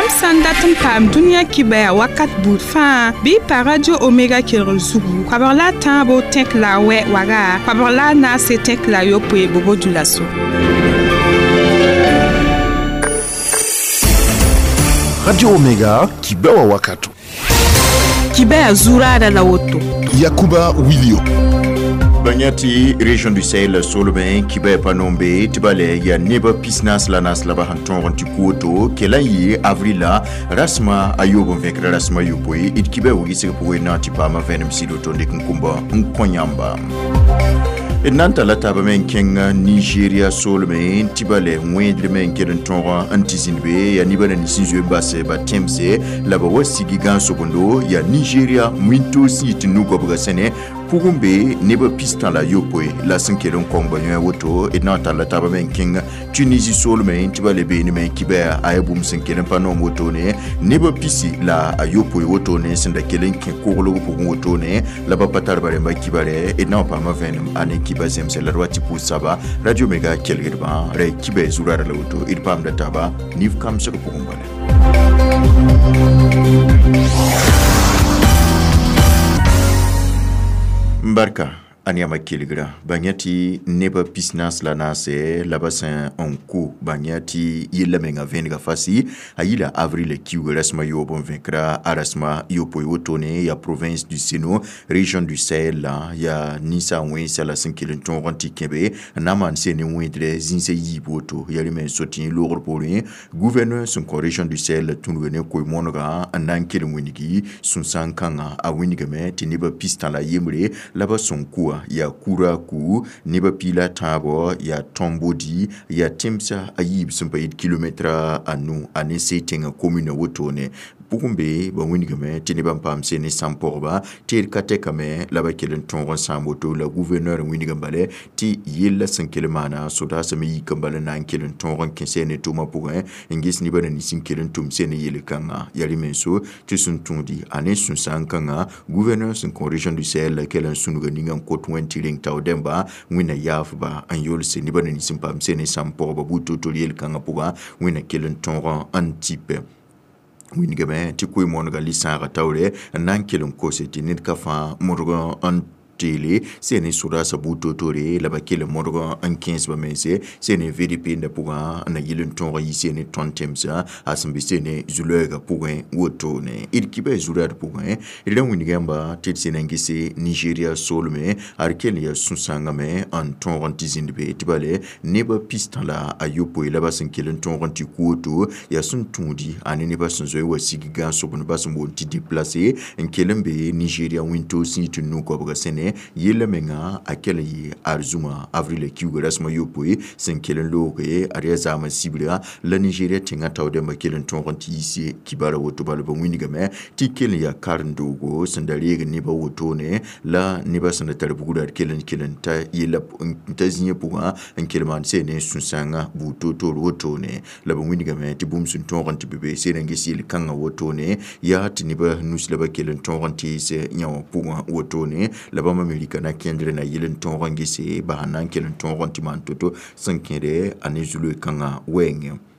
Yãmb sã n dat n paam dũniyã kibaya wakat buud fãa bɩ y pa Radio Omega kelgr zugu koabg la a tãabo tẽk la a wɛ waga koabg la a naase tẽk la a yopoe bobo dulaso. Radio Omega kibewa wakato. Kibaya zurada la woto. Yakuba Wilio. Banyati région du Sahel solomɛ kibɛ panombe tibale ya neba pisnas la nas laba hanton ti kuoto kelan yi avril la rasma ayobo vekra rasma yopoi it kibɛ wogi sege poe na ti pama venem sido to ndik nkumba nkonyamba nan tala taaba me n kẽng Nigeria solme tɩ ba lɛ wẽedr me n kell n tõog n tɩ zĩnd be yaa neba na nins n zoe n bas ba tẽmse la ba wa sigi gãn-sobendo yaa Nigeria wĩntoog sẽn yɩ tɩ nu-goabga sẽne pʋgẽ be nebã pistã la yopoe la sẽn kell n kõng ba yõe woto d na n talla taaba me n kẽng Tunisie soolmẽ tɩ ba le beene me kibɛa a yaa bũmb sẽn kell n pa noom wotone nebã pisi la a yopoe wotone sẽn da kell n kẽ koglg pʋgẽ wotone la ba pa tar ba rẽmba kibarɛ d na n paama vẽenem a ne kiba zemse la d wa tɩ pʋʋs saba Radio Mega kelgdbã ra kibɛ zurara la woto d paamda taaba nif kamsg pʋgẽ bala. Barka aniama kelgra banyati neba pisnas la nase la basin en ku banyati yella menga venga fasi ayila avril kiu rasma yo bon vaincra arasma yo poyotone ya province du Seno région du Sahel la ya nisa wensa la sinkilin ton ranti kebe naman sene windre zinse yiboto yari men sotin logr porin gouverneur son région du Sahel tunwene koy monga nan kelin winigi sun sankanga a winigame tiniba pistan la yemre la bason kuwa ya kura ku neba pila tãabo ya tõmbodi ya tẽmsa a yiib sẽn pa yit kilometra anu a ne se tẽngã commune wotone pʋgẽ be ba wĩnigame tɩ nebã n paam se ne sãn-pɔgba teed ka tɛkame la ba kell n tõog n sãam woto la gouverneur wĩnigã bala tɩ yella sẽn kell maana sodaasã me yik n bala na n kell n tõog n kẽ sɛ ne tʋʋmã pʋgẽ n ges nebã na nins n kell n tʋm sɛ ne yel-kãngã yaa rẽ menso tɩ sẽn tũudi a ne sũ-sãn-kãngã gouverneur sẽn kõ région du Sahel la kell n sũnga ninga n kot wẽnd tɩ reng tao dẽmba wẽnna yaafba n yolse nebã na nins n paam sɛ ne sãn-pɔgba buud toor-toor yel-kãngã pʋgã wẽnna kell n tõog n tɩpɛ wĩnigame tɩ koe-moonega li-sãagã taoore n na n kell n kose tɩ ned ka fãa modg n teele sẽn ne sodaasã buud toor-toore la ba kell n modg n kẽes ba mense sẽn ne VDP nda pʋgã n na yɩl n tõog n yi sẽn ne tõnd tẽmsã a sẽn be sẽn ne zu-lɔɛɛgã pʋgẽ wotone d kibã zurad pʋgẽ d ra wĩnig yãmba tɩ d sẽn na n gese Nigeria soolme ad kell n yaa sũ-sãngame n tõog n tɩ zĩnd be tɩ bale nebã pistã la a yopoe la ba sẽn kell n tõog n tɩ ku woto yaa sẽn tũudi a ne nebã sẽn zoe wa sig gãn-sobend ba sẽn boond tɩ déplacé n kell n be Nigeria wĩntoog sẽn yɩ tɩ nu-goabga sẽne yella menga a kell n yɩ arzũma avril kiuga rasmã yopoe sẽn kell n looge ad yaa zaam n sibra la Nigeria tẽngã tao dẽmbã kell n tõog n tɩ yiis kibara woto bala ba wĩnigame tɩ kell n yaa karen-doogo sẽn da reeg nebã wotone la nebã sẽn da tar bugrã d kell n kell n ta yella n ta zĩigã pʋgã n kell maan sẽn ne sũ-sãngã buud toor-toor wotone la ba wĩnigame tɩ bũmb sẽn tõog n tɩ be be sẽn n ges yel-kãngã wotone yaa tɩ nebã nus la ba kell n tõog n tees yã wã pʋgã wotone la bãmb Amerika na kẽndre na yɩl n tõog n gese ba sẽn na n kell n tõog n tɩ maan to-to sẽn kẽde a ne zu-loe-kãngã wɛɛngẽ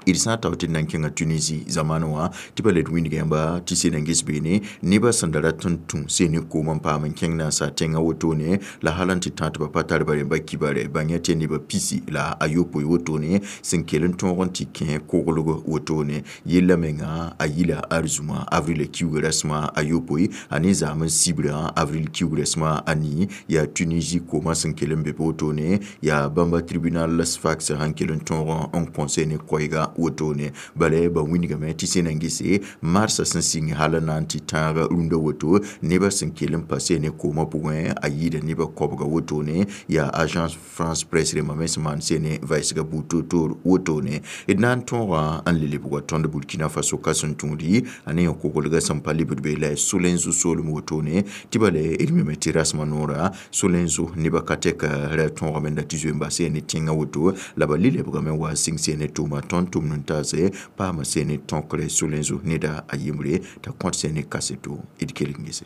d sã n tao tɩ d na n kẽngã Tunisie zamaan wã tɩ pa le d wĩnga yãmba tɩ sẽn na n ges beene nebã sẽn da rat n tũ sẽn ne koom n paam n kẽng naasa tẽngã wotone la hal n tɩ tã tɩ ba pa tar ba rẽmba kibare bãng tɩ nebã pisi la a yopoe wotone sẽn kell n tõog n tɩ kẽ koglg wotone yella menga a yila arzũma avril kiuga rasmã a yopoe a ne zaam n sibrã avril kiuga rasmã a nii yaa Tunisie koomã sẽn kell n be wotone yaa bãmba tribunal Sfax sẽn kell n tõog n kõse ne koɛɛga wotone bala ba wĩnigame tɩ sẽn na n gese marsã sẽn sɩng hal n na n tɩ tãag rũndã woto nebã sẽn kell n pa sɛ ne koomã pʋgẽ a yɩɩda nebã koabga wotone yaa Agence France Presse rẽmbã me sẽn maan sɛ ne vɛɛsga buud toor-toor wotone d na n tõoga n le lebga tõnd Burkina Faso ka sẽn tũudi a ne yã koglga sẽn pa lebd be la Solenzo soolem wotone tɩ bala d meme tɩ rasmã noora Solenzo nebã ka tɛk ra tõogame n da tɩ zoe n bas ne tẽngã woto la ba le lebgame wa sɩng sɛ ne tʋʋma tõnd tʋm n taase paama sẽn ne tõkre Solenzo neda a yembre t'a kõt sẽn ne kaseto d kelg n gese.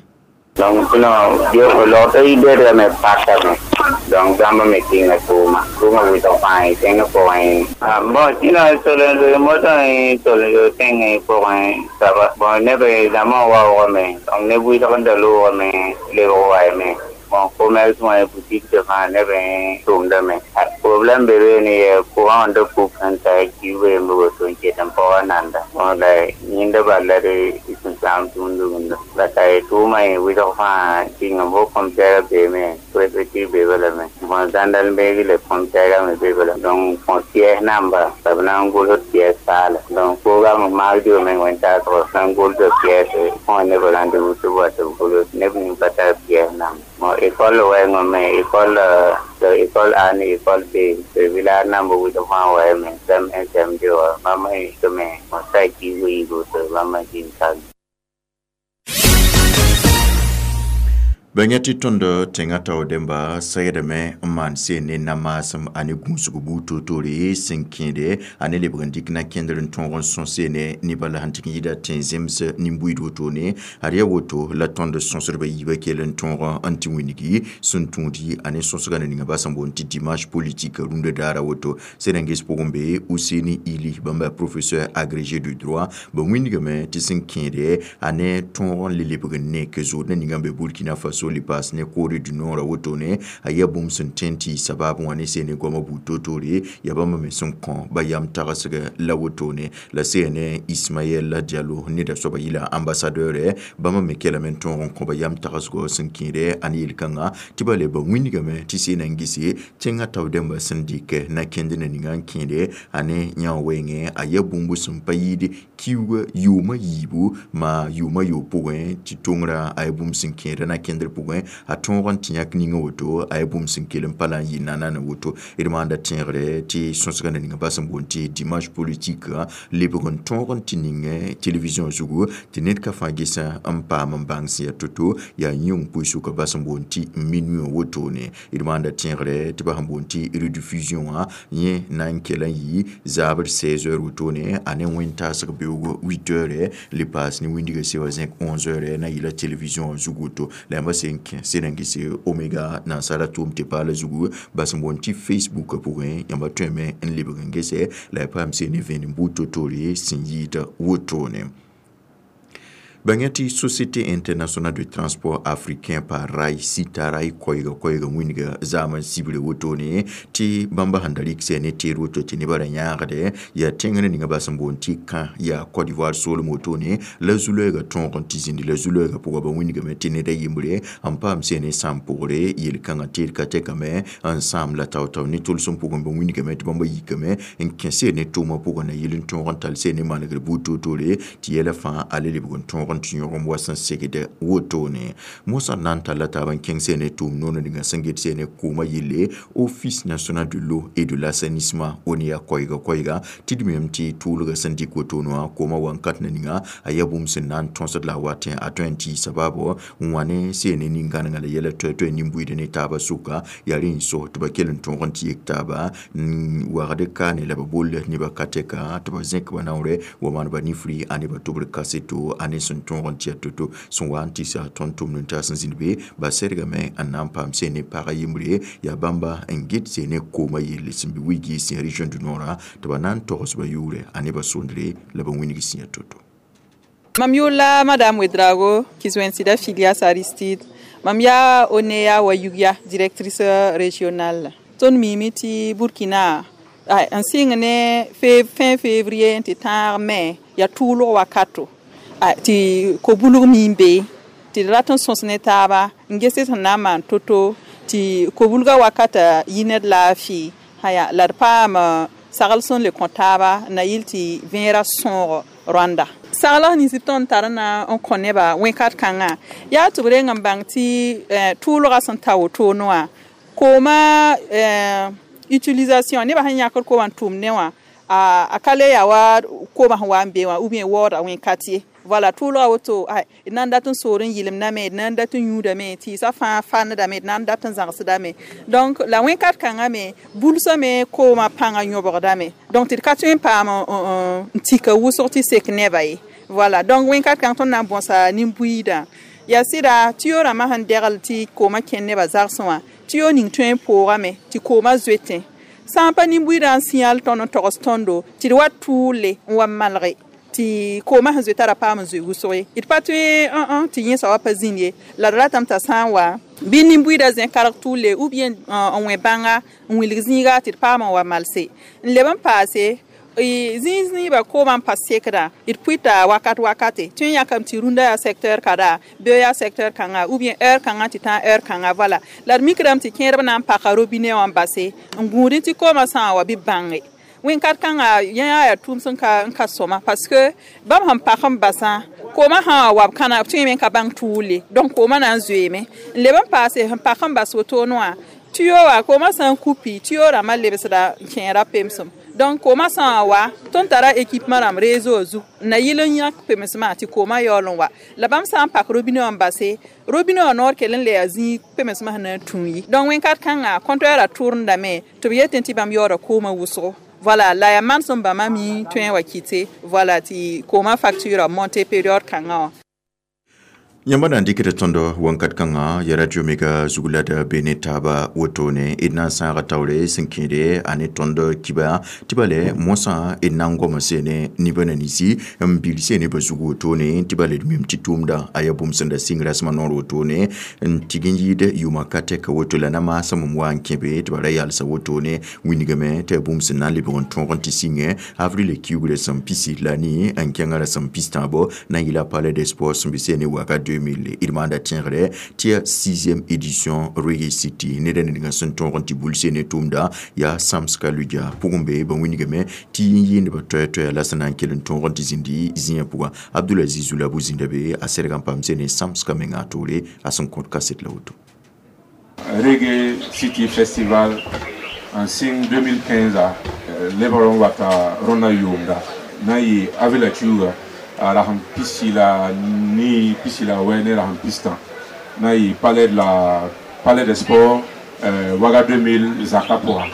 Donc non yo lo te de me pasa me donc bãmb me kẽnga tʋʋma tʋʋma wɩlg fãa tẽngã pʋgẽ bon tɩna tol motã tol tẽngã pʋgẽ saba bon neb dãmbã waoogame donc neb wɩlg n da loogame lebg waame bon commerce wã boutique de fãa neb tʋʋmdame problème be beene yaa courant n da kup sẽn ta kiuga yemb woto n ket n paoga nanda bon la yẽnda bala d sẽn saam tũud la ta tʋʋma wɩlg fãa kɩng fo fonctionnaire beeme préfecture be balame bon gendarmerie le fonctionnaire me be bala donc fõ pièce namba la b na n gʋls pièce paala donc koogame maag me wẽn-taasg na n gʋlsa pièce fõ neb rendez-vous tɩ b wa tɩ b gʋls neb ning pa tar pièce namba bon école wɛɛngã me école école A ni école B village namba wɩlg fãa waame CM1 CM2 wã bãmb tɩ me bon sa kiigo yiigo tɩ bãmb zĩnd kal. Bãnga tɩ tõnd tẽngã tao dẽmba segdame n maan seen ne namaasem ane gũusg buud toor-toore sẽn kẽede a ne lebg n dɩk na kẽndr n tõog n sõs ne nebã la sẽn tɩ n yɩɩda tẽn-zems nin-buiid wotone ad yaa woto la tõnd sõsdbã yiibã kell n tõog n tɩ wĩngi sẽn tũudi a ne sõsgã na ninga ba sẽn boond tɩ dimanche politique rũndã daara woto sẽn n ges pʋgẽ be Ousseini Ili bãmba professeur agrégé de droit ba wĩndgame tɩ sẽn kẽede a ne tõog n le lebg n nek zood na ninga n be Burkina Faso le paas ne Corée du Nord wotone a yaa bũmb sẽn tõe n tɩ sabaab wã ne seen goamã buud toor-toore yaa bãmb me sẽn kõ ba yam tagsg la wotone la seen Ismaël Diallo neda soaba yɩla ambassadeur bãmb me kelame n tõog n kõ ba yam tagsgɔ sẽn kẽede a ne yel-kãnga tɩ ba le ba wĩndgame tɩ seen n gese tẽngã tao dẽmbã sẽn dɩk na kẽnd na ninga n kẽede a ne yã wɛɛngẽ a yaa bũmb sẽn pa yɩɩd kiuga yʋʋmã yiibu maa yʋʋmã yoog pʋgẽ tɩ tongrã a yaa bũmb sẽn kẽeda na kẽndr pʋgẽ a tõog n tɩ yãk ninga woto a yaa bũmb sẽn kell n pa la n yɩ nanana woto d maanda tẽegre tɩ sõsgã na ninga ba sẽn boond tɩ dimanche politique lebg n tõog n tɩ ning télévision zugu tɩ ned ka fãa gesã n paam n bãng sẽn yaa to-to yaa yĩng pʋɩ-sʋka ba sẽn boond tɩ minuit wotone d maanda tẽegre tɩ ba sẽn boond tɩ rediffusion wã yẽ na n kell n yɩ zaabr 16 heures wotone a ne wẽn-taasg beoogo 8 heures le paas ne wĩndgã sewa zẽk 11 heures na yɩla télévision zugu woto la yãmba sẽn kẽ sẽn n gese Omega nansara tʋʋm tɩ paala zugu ba sẽn boond tɩ Facebook pʋgẽ yãmba tõeme n lebg n gese la ya paam seen ne vẽenem buud to-toore sẽn yɩɩd wotone. Bãnga tɩ Société internationale de transport africain par rail sita ray koɛɛga koɛɛga wĩnga zaam n sibre wotone tɩ bãmba sẽn da rɩk sɛ ne teed woto tɩ nebã ra yãagde yaa tẽngr ninga ba sẽn boond tɩ kã yaa Côte d'Ivoire soolem wotone la zu-loɛɛgã tõog n tɩ zĩndi la zu-loɛɛgã pʋga ba wĩndgame tɩ ned a yembre n paam sɛ ne sãam pʋgre yel-kãngã teed ka tɛkame n sãam la tao-tao ne tʋlsem pʋgẽ ba wĩndgame tɩ bãmba yikame n kẽ sɛ ne tʋʋmã pʋgẽ na yɩl n tõog n tall sɛ ne manegr buud toor-toore tɩ yɛla fãa a le lebg n tõog n tɩ yõgem wa sẽn segd wotone mosã na n talla taab n kẽng sɛ ne tʋʋm noor ninga sẽn get sɛ ne koomã yelle Office national de l'eau et de l'assainissement ONEA koɛɛga koɛɛga tɩ d meem tɩ tʋʋlgã sẽn dɩk wotone wã koomã wankat na ninga a yaa bũmb sẽn na n tõsd la a watẽ a tõe n tɩ sabaabo n wã ne seen ne nin-gãnengã la yɛla toɛ-toɛ nin-buiid ne taabã sʋka yaa rẽ n so tɩ ba kell n tõog n tɩ yek taaba n wagd kaane la ba boll nebã ka tɛka tɩ ba zẽk ba naoorɛ wa maan ba nifri a nebã tʋbr kaseto a ne sẽn tõog n tɩ yaa to-to sẽn wa n tɩ sa tõnd tʋmd n taas n zĩnd be ba sɛdgame n na n paam seen ne pagã yembre yaa bãmba n get seen ne koomã yelle sẽn be wilgi sẽn région du Nord tɩ ba na n togs ba yʋʋrɛ a nebã sondre la ba wĩneg sẽn yaa to-to. Mam yʋʋla Madame Ouedraogo Kizoensida Filias Aristide. Mam yaa ONEA wa Yugya directrice régionale. Tõnd miime tɩ Burkina n sɩng ne fin février n tɩ tãag me yaa tʋʋlg wakato tɩ ko-bulg miim be tɩ d rat n sõs ne taaba n ges sẽn na n maan to-to tɩ ko-bulgã wakata yɩ ned laafɩ haya la d paam sagl sẽn le kõ taaba na yɩl tɩ vẽerã sõog Rwanda. Sagl nins b tõnd tar na n kõ nebã wẽnkat kãngã yaa tɩ b reng n bãng tɩ tʋʋlgã sẽn ta wotone wã koomã utilisation nebã sẽn yãkd koomã n tʋʋm ne wã a ka le yaa wa koomã sẽn wa n be wã ou bien waooda wẽnkat ye. Voilà, tʋʋlgã woto d na n dat n soor n yɩlemdame d na n dat n yũudame tɩɩsã fãa fandame d na n dat n zãgsdame donc la wẽnkat kãngã me bulsame koomã pãngã yõbgdame donc tɩ d ka tõe n paam n tika wʋsg tɩ sek neba ye. Voilà, donc wẽnkat kãng tõnd na n bõsa nin-buiidã Yaa sɩda tɩ yo rãmbã sẽn degl tɩ koomã kẽnd nebã zagsẽ wã, tɩ yo ning tõe n poogame tɩ koomã zoetẽ. Sã n pa nin-buiidã n sĩyal tõnd n togs tõndo tɩ d wa tʋʋle n wa malge tɩ koomã sẽn zoeta ra paam n zoe wʋsg ye. D pa tõe tɩ yẽsa wa pa zĩnd ye. La d ratame t'a sã n wa bɩ nin-buiidã zẽ karg tʋʋle ou bien n wẽ bãnga n wilg zĩiga tɩ d paam n wa malse. N leb n paase zĩig zĩiba koomã n pa sekdã, d pʋɩta wakat wakate tõe n yãkame tɩ rũndã yaa secteur kada, beo yaa secteur kãnga, ou bien heure kãngã tɩ tã heure kãnga. Voilà, la d mikrame tɩ kẽedb na n paka robinet wã n base n gũudẽ tɩ koomã sã n wa bɩ bãnge. Wẽn-kat kãnga yẽ yaa tʋʋm sẽn ka sõma, parce que bãmb sẽn pak n basã, koomã sã wa wa b kãna, b tõeme n ka bãng tʋʋle, donc koomã na n zoeeme. N leb n paase sẽn pak n bas wotone wã, tuyo wã koomã sã n kupi, tuyo rãmbã lebsda n kẽera pemsem. Donc koomã sã n wa, tõnd tara équipement rãmb réseau zug n na yɩl n yãk pemsmã tɩ koomã yaool n wa. La bãmb sã n pak robinet wã n base, robinet wã noor kell n le yaa zĩig pemsmã sẽn na n tũ yi. Donc wẽn-kat kãnga compteur a tʋrendame tɩ b yetẽ tɩ bãmb yaooda koomã wʋsgo. Voilà, la yaa manesem bãmba mi tõe n wa kɩte, voilà, tɩ koomã facture a monte période kãngã wã. Yãmba na n dɩkda tõndo wãnkat kãngã ya Radio Mega zug la d be ne taaba wotone. D na n sãaga taoore sẽn kẽede a ne tõnd kiba tɩ bale mosã d na n goma sene nebã na ninsi n bil sene ba zug wotone, tɩ bale d mim tɩ tʋʋmda a yaa bũmb sẽn da sɩng rasmã noor wotone n tig n yɩɩd yʋʋmã ka tɛka woto. La na maasem n wa n kẽ be tɩ ba ra yalsa wotone wingame tɩ yaa bũmb sẽn na n lebg n tõog n tɩ sɩngẽ avril kiugrã sẽn pisi la ni n kẽngã rasem pistãabo na n yɩla Palais des Sports sẽn be sene waka 2000. D maanda tẽegre tɩ yaa 6e édition Reggae City. Ned a ned sẽn tõog n tɩ bul sene tʋʋmda yaa Samska Ludia pʋgẽ be ba wingame tɩ n yɩɩndbã toɛɛ-toɛɛ la sẽn na n kell n tõog n tɩ zĩndi zĩyã pʋga. Abdulaziz Zula bu-zĩnda be a sɛrg n paam sene Samska menga a toore a sẽn kõt kaset la woto. Reggae City Festival n sɩng 2015 a lebg n wata rõndã yʋʋmda na n yɩ avril kiuga rasem pisi la ni pisi la wɛ ne rasem pistã na yɩ palais de la Palais des Sports, Ouaga 2000 zaka pʋga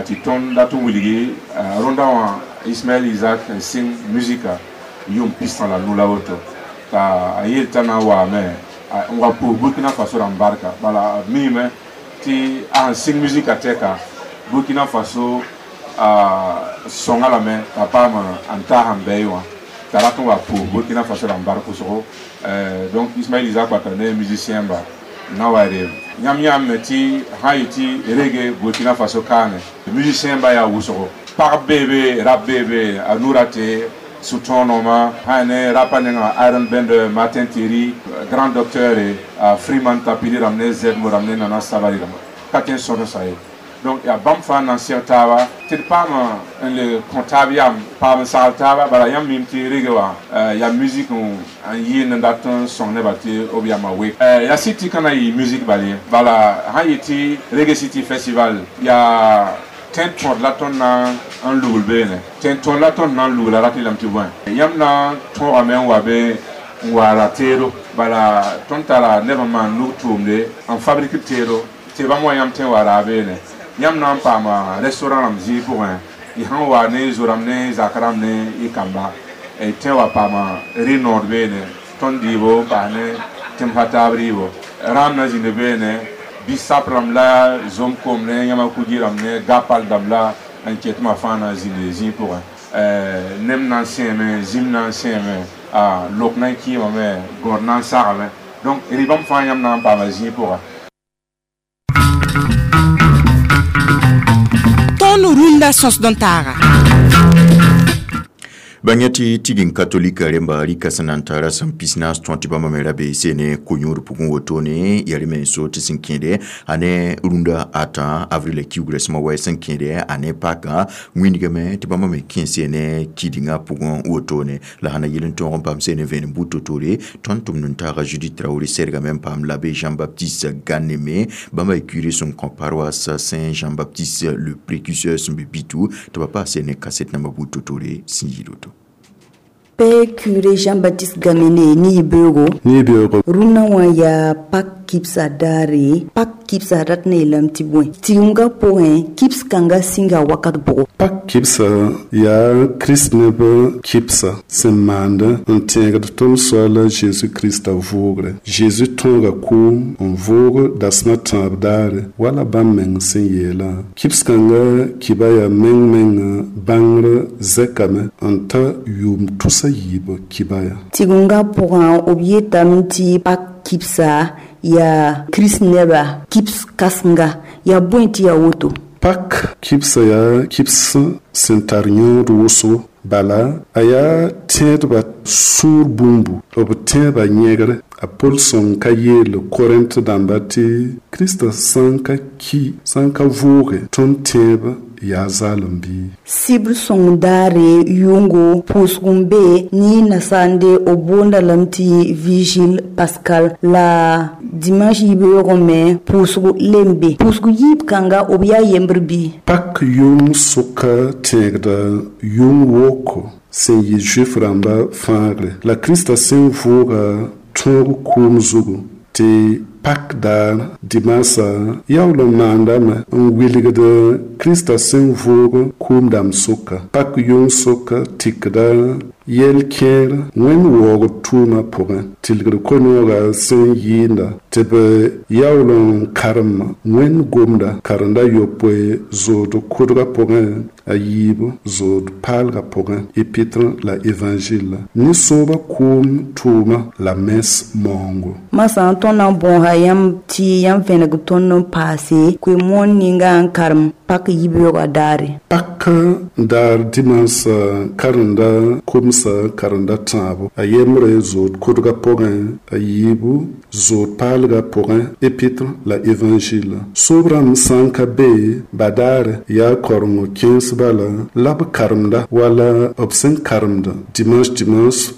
tɩ tõnd dat n wilgi rõndã wã Ismaël Isaac n sɩng musika yʋʋm pistã la nu la woto t'a a yeel t'a na n waame n wa pʋʋs Burkina Faso rãmb barka. Bala b miime tɩ a sẽn sɩng musika tɛka, Burkina Faso sõnga lame t'a paam n taas n bɛɛ wã t'a rat n wa pʋʋs Burkina Faso rãmb bark wʋsgo. Donc Ismaël Isaac wata ne musicien ba na wa re yãmb yãmb tɩ sã n yɩ tɩ reggae Burkina Faso kaane musicien ba yaa wʋsgo, pagb beebe, rab beebe, a nura tɩ sũ-tõonoma sã ne rapa nenga Iron Bender, Martin Thierry, grand docteur, a Freeman Tapili rãmb ne Zedmo rãmb ne Nana Sabari rãmb ka tõe n sõdsa ye. Donc yaa bãmb fãa na n seg taaba tɩ d paam n le kõ taab yam paam n sagl taaba. Bala yãmb mim tɩ rege wã yaa musique n yɩɩnd n dat n sõng nebã tɩ b yamã wek yaa city ka na yɩ musique bal ye. Bala sã n yɩ tɩ Reggae City Festival yaa tẽn tõd la tõnd na n lugl beene, tẽn tõd la tõnd na n lugla rat yeelame tɩ bõe yãmb na n tõogame n wa be n waara teedo. Bala tõnd tara neb n maan nug tʋʋmde n fabrik teedo tɩ bãmb wa yãmb tõe n wa raa beene. Yãmb na n paama restaurant rãmb zĩig pʋgẽ, y sãn wa ne zo-rãmb ne zak rãmb ne y kamba y tõe wa paama rɩ-nood beene, tõnd dɩɩbo n paas ne tẽmsã taab rɩɩbo rãam na zĩnd beene, bisap rãmb la zom kom ne yãma kugi rãmb ne gapal dãmb la n ket tɩ fãa na n zĩnd zĩig pʋgẽ. Nem na n sẽeme, zĩm na n sẽeme, lok na n kɩɩmame, gõod na n sagame, donc rɩ-bãmb fãa yãmb na n paama zĩig pʋgẽ. Tõnd rũndã sõsd n taaga. Bãng tɩ tigin katolika rẽmba rɩka sẽn na n tara sẽn pisnaas tõe tɩ bãmba me ra bee sene ko-yõod pʋgẽ wotone yaa rẽ me so tɩ sẽn kẽede a ne rũndã ata avril kiugrã sẽma wa sẽn kẽede a ne paka wĩndgame tɩ bãmba me kẽ sene kidingã pʋgẽ wotone la sãn na yel n tõog n paam sene vẽenem buud to-toore. Tõnd tʋmd n taaga Judith Traoré sɛrgame n paam l'abbé Jean-Baptiste Ganeme, bãmba y curé sẽn kõ paroisse Saint Jean-Baptiste le Précurseur sẽn be Bitou, tɩ ba paas sene kaset nambã buud to-toore sẽn yɩɩd woto. Père curé Jean-Baptiste Gamene ni Ibero. Ni Ibero. Rũndã wã yaa pak Kibsa daare, Pak kibsa rat n yeelame tɩ bõe? Tigimga pʋgẽ, kibs kãnga sĩnga wakat bʋgo? Pak kibsa yaa Kirist neb kibsa sẽn maand n tẽegd tõnd Soaala Zeezi Krista vʋʋgre. Zeezi tõoga kʋʋm n vʋʋg dasem a tãab daare, wala bãmb meng sẽn yeelã. Kibs kãnga kiba yaa meng-mengã bãngr zɛkame n ta yʋʋm tusa yiib kiba ya. Tigimga pʋgã, b yetame tɩ Pak kibsa yaa Kirist neba kibs kãsenga. Yaa bõe tɩ yaa woto? Pak kibsa yaa kibs sẽn tar yõod wʋsgo. Bala, a yaa tẽedbã sũur bũmbu, b tẽebã yẽgre. A Pol sõng ka yeel Korẽnt dãmba tɩ Krista sã n ka ki, sã n ka vʋʋge, tõnd tẽeb yaa zaalem bɩ? Sibr sõng daare yʋngo pʋʋsg n be ne nasaande b boonda lame tɩ vigile pascal, la dimanche yibeoogẽ me pʋʋsg le n be. Pʋʋsg yiib kãnga b yaa yembr bɩ? Pak yʋng sʋka tẽegda yʋng woko sẽn yɩ Zuif rãmba fãagre, la Krista sẽn vʋʋga tõog kʋʋm zugu, tɩ Pak daar dimaasã yaool n maandame n wilgd Krista sẽn vʋʋg kʋʋm dãmb sʋka. Pak yʋng sʋka tikda yɛl kẽer wẽnd waoogd tʋʋmã pʋgẽ, tilgd koe-noogã sẽn yɩɩnda tɩ b yaool n karem wẽnd gomda karenda yopoe zood kʋdgã pʋgẽ, a yiib zood paalgã pʋgẽ, épître la évangile, ne sooba kʋʋm tʋʋma la mens maoongo. Masã, tõnd na n bõosa yãmb tɩ yãmb vẽneg tõnd n paase koe-moon ninga n karem Pak yibeoogã daare. Pak daar dimaasã karenda komsa karenda tãabo, a yembre zood kʋdgã pʋgẽ, a yiibu zood paalgã pʋgẽ, épître la évangile. Soob rãmb sã n ka be badaare yaa karengo kẽens bala la b karemda, wala b sẽn karemd dimanche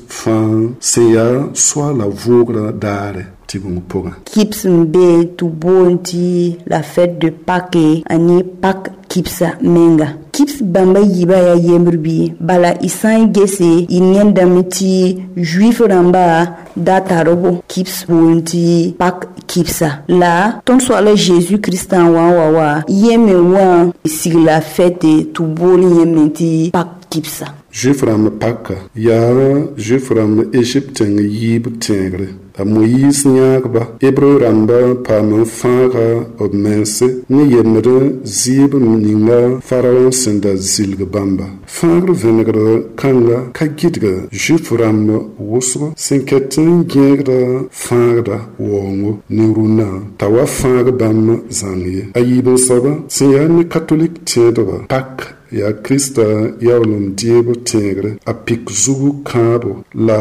fãa sẽn yaa Soaala vʋʋgrã daare tigeng pʋgẽ. Kibs n be tɩ boond tɩ la fête de Pâques ane Pak kibsa menga. Kibs bãmba yiibã yaa yembr bɩ? Bala, y sã n gese, y yẽndame tɩ Juif rãmba da tar b kibs boond tɩ Pak kibsa. La tõnd Soaala Zeezi Kristã n wa n wa wa yẽ me wã sigla fête tɩ bool yẽ me tɩ Pak kibsa. Juif rãmb paka yaa Juif rãmb Egypte tẽng yiib tẽegre. A Moyiis yãagba Hebreu rãmba paam n fãaga b mense ne yemd zɩɩb ninga Faraõ sẽn da zilg bãmba. Fãagr vẽnegr kãnga ka gɩdg Juif rãmb wʋsgo sẽn ket n gẽegda fãagda waoongo ne rũnnã t'a wa fãag bãmb zãng ye. A yiib n soaba sẽn yaa ne katolik tẽedba, Pak yaa Krista yaool n deeb tẽegre a pik zugu kãabo la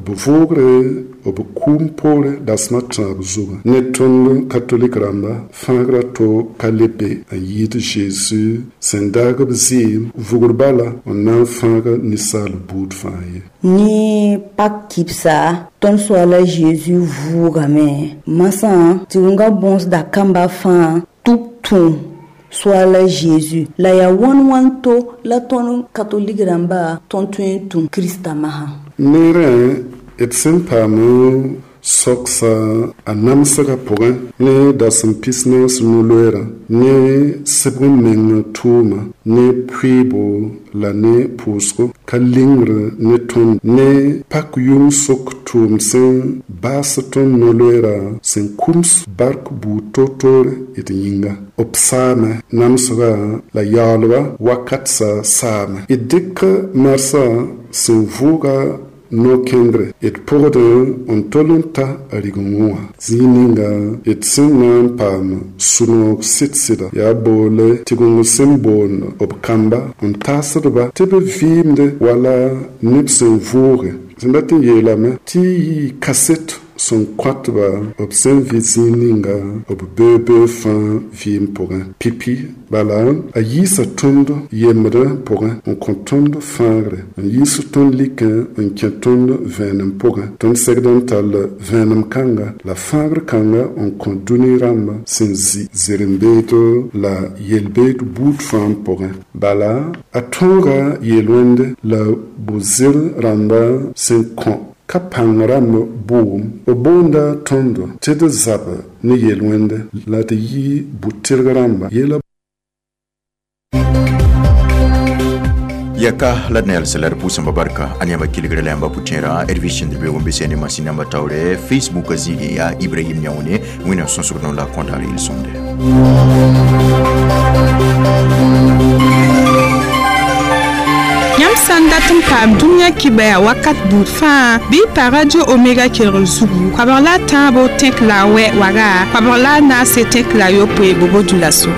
b vʋʋgre b kũum poore dasem a tãab zugu. Ne tõnd katolik rãmba, fãagrã to ka le be n yɩɩd Zeezi sẽn daag b zɩɩm vugr bala n na n fãag ninsaal buud fãa ye. Ne Pak kibsa, tõnd Soaala Zeezi vʋʋgame. Masã, tɩ-wẽnga bõsda kamba fãa tɩ b tũ Soaala Zeezi, la yaa wãn wãn to la tõnd katolik rãmba tõnd tõe n tũ Krista masã? Neerã d sẽn paam soksa a namsgã pʋgẽ ne dasem pis-naas no-loeerã ne sɩbg n meng tʋʋma ne pʋɩɩbo la ne pʋʋsgo ka lingr ne tõnd ne pak yʋng sok tʋʋm sẽn baas tõnd no-loeerã sẽn kums bark buud toor-toore d yĩnga. B saame namsgã la yaoolba wakat sa saame. D dɩk marsã sẽn vʋʋga no-kẽndre d pʋgd n tol n ta a rigengẽ wã. Zĩig ninga d sẽn na n paam sũ-noog sɩd-sɩda yaa boole tɩgeng sẽn boond b kamba n taasdba tɩ b vɩɩmde wala neb sẽn vʋʋge. Sẽn dat n yeelame tɩ yɩ kaset sẽn kõtba b sẽn vɩ zĩig ninga b beoog-beoog fãa vɩɩm pʋgẽ. Pipi bala, a yiisa tõnd yembd pʋgẽ n kõ tõnd fãagre, n yiis tõnd likẽ n kẽ tõnd vẽenem pʋgẽ. Tõnd segd n tall vẽenem kãnga la fãagr kãnga n kõ dũni rãmba sẽn zĩ zeren-beedo la yel-beed buud fãa pʋgẽ. Bala, a tõoga yel-wẽnde la bu-zɩr rãmba sẽn kõ Ka pãng rãmb bʋʋm. B boonda tõndo tɩ d zab ne yel-wẽnde la d yɩ bu-tɩrg rãmba yeela. Yaka la d na yals la d pʋʋsãmba barka a yãmba kelgra la yãmba pʋtẽerã rv sẽnd be wẽn be sẽne masĩn namba taoore Facebook zĩigẽ yaa Ibrahim Yãone. Wẽnnaam sõsg no la kõdaar yel-sõmde. Yãmb sã n dat n paam dũniyã kibaya wakat buud fãa bɩ y pa Radio Omega kelgr zugu koabg la a tãabo tẽk la a wɛ waga koabg la a naase tẽk la a yopoe bobo dulaso.